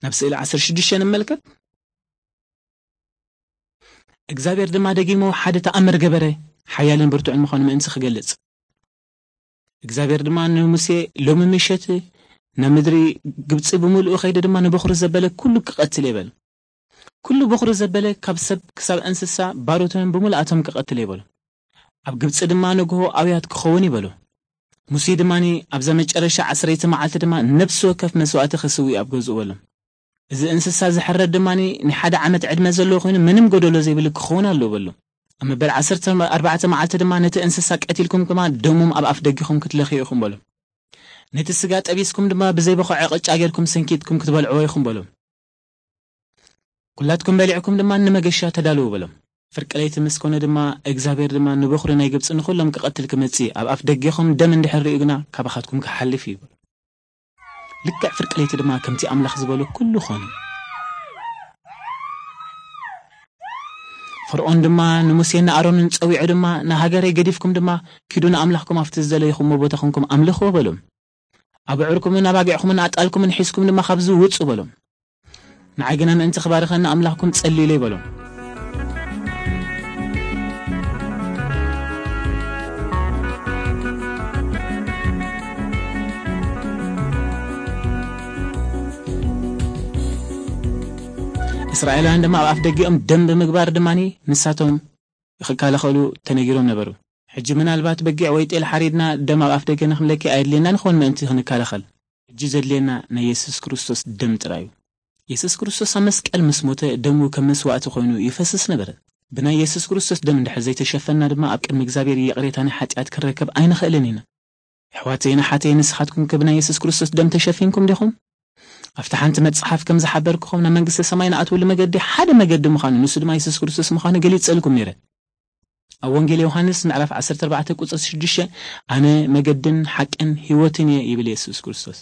ናብ ስእሊ ዓሰርተ ሽዱሽተ ንመልከት። እግዚኣብሔር ድማ ደጊሙ ሓደ ተኣምር ገበረ፣ ሓያልን ብርቱዕን ምዃኑ ምእንቲ ክገልጽ። እግዚኣብሔር ድማ ንሙሴ፣ "ሎሚ ምሸት ናብ ምድሪ ግብጺ ብምሉኡ ከይደ ድማ ንበኹሪ ዘበለ ኩሉ ክቐትል እየ" በል። ኩሉ በኹሪ ዘበለ ካብ ሰብ ክሳብ እንስሳ፣ ባሮትን ብምሉኣቶም ክቐትል እየ በሎ። ኣብ ግብጺ ድማ ንግሆ ኣውያት ክኸውን እዩ በሎ። ሙሴ ድማ ኣብዛ መጨረሻ ዓሰርተ መዓልቲ ድማ ነፍሲ ወከፍ መስዋእቲ ክስዊ ኣብ ገዝኡ በሎ። እዚ እንስሳ ዝሕረድ ድማ ናይ ሓደ ዓመት ዕድመ ዘለዎ ኮይኑ ምንም ጎደሎ ዘይብሉ ክኸውን ኣለዎ በሎ። ኣብ መበል ዓሰርተ ኣርባዕተ መዓልቲ ድማ ነቲ እንስሳ ቀቲልኩም ድማ ደሞም ኣብ ኣፍ ደጊኹም ክትለኽዩ ኢኹም በሎ። ነቲ ስጋ ጠቢስኩም ድማ ብዘይ በኸዖ ቅጫ ጌርኩም ሰንኪትኩም ክትበልዕዎ ኢኹም በሎ። ኩላትኩም በሊዕኩም ድማ ንመገሻ ተዳልዉ በሎም። ፍርቂ ለይቲ ምስ ኮነ ድማ እግዚኣብሔር ድማ ንበኹሪ ናይ ግብጺ ንኹሎም ክቐትል ክመጽእ ኣብ ኣፍ ደጌኹም ደም እንድሕር ርእዩ ግና ካባኻትኩም ክሓልፍ እዩ በሎ። ልክዕ ፍርቂ ለይቲ ድማ ከምቲ ኣምላኽ ዝበሎ ኩሉ ኾነ። ፈርዖን ድማ ንሙሴን ንኣሮንን ጸዊዑ ድማ ንሃገረይ ገዲፍኩም ድማ ኪዱ ንኣምላኽኩም ኣብቲ ዝደለይኹሞ ቦታ ኮንኩም ኣምልኽዎ በሎም። ኣቡዑርኩምን ኣባጊዕኩምን ኣጣልኩምን ሒዝኩም ድማ ካብዚ ውጹ በሎም። ንዓይ ግና ምእንቲ ክባርኸኒ ኣምላኽኩም ጸልዩለይ በሎም። እስራኤላውያን ድማ ኣብ ኣፍ ደጊኦም ደም ብምግባር ድማ ንሳቶም ክከላኸሉ ተነጊሮም ነበሩ። ሕጂ ምናልባት በጊዕ ወይ ጤል ሓሪድና ደም ኣብ ኣፍ ደገ ንኽንለኪ ኣየድልየና ንኸውን ምእንቲ ክንከላኸል። ሕጂ ዘድልየና ናይ የሱስ ክርስቶስ ደም ጥራይ እዩ። የሱስ ክርስቶስ ኣብ መስቀል ምስ ሞተ ደሙ ከም መስዋእቲ ኮይኑ ይፈስስ ነበረ። ብናይ የሱስ ክርስቶስ ደም እንድሕር ዘይተሸፈንና ድማ ኣብ ቅድሚ እግዚኣብሔር ይቕሬታ ናይ ሓጢኣት ክንረከብ ኣይንኽእልን ኢና። ኣሕዋተይን ኣሓተይን ንስኻትኩም ከ ብናይ የሱስ ክርስቶስ ደም ተሸፊንኩም ዲኹም? ኣብቲ ሓንቲ መጽሓፍ ከም ዝሓበርኩኹም ናብ መንግስተ ሰማይ ንኣትወሉ መገዲ ሓደ መገዲ ምዃኑ ንሱ ድማ የሱስ ክርስቶስ ምዃኑ ገሊጸልኩም ነይረ። ኣብ ወንጌል ዮሃንስ ምዕራፍ ዓሰርተ ኣርባዕተ ቁጽሪ ሽዱሽተ ኣነ መገድን ሓቅን ህይወትን እየ ይብል የሱስ ክርስቶስ።